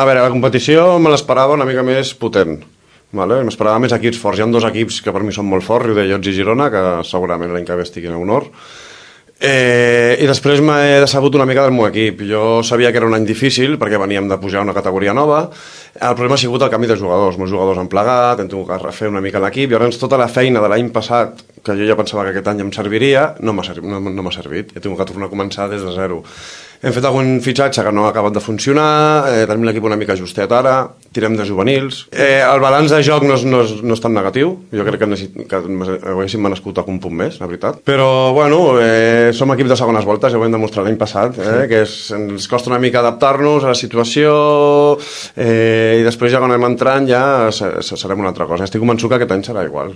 A veure, la competició me l'esperava una mica més potent. Vale? M'esperava més equips forts. Hi ha dos equips que per mi són molt forts, Riudellots i Girona, que segurament l'any que ve estiguin a honor. I després m'he decebut una mica del meu equip. Jo sabia que era un any difícil perquè veníem de pujar a una categoria nova. El problema ha sigut el canvi de jugadors. Molts jugadors han plegat, hem tingut que refer una mica l'equip, i llavors tota la feina de l'any passat, que jo ja pensava que aquest any em serviria, no m'ha servit. He tingut que tornar a començar des de zero. Hem fet algun fitxatge que no ha acabat de funcionar, tenim l'equip una mica justet ara, tirem de juvenils. El balanç de joc no és tan negatiu, jo crec que haguéssim merescut algun punt més, la veritat. Però, bueno, som equip de segones voltes, ja ho vam demostrar l'any passat, que ens costa una mica adaptar-nos a la situació, i després ja quan anem entrant ja serem una altra cosa. Estic convençut que aquest any serà igual.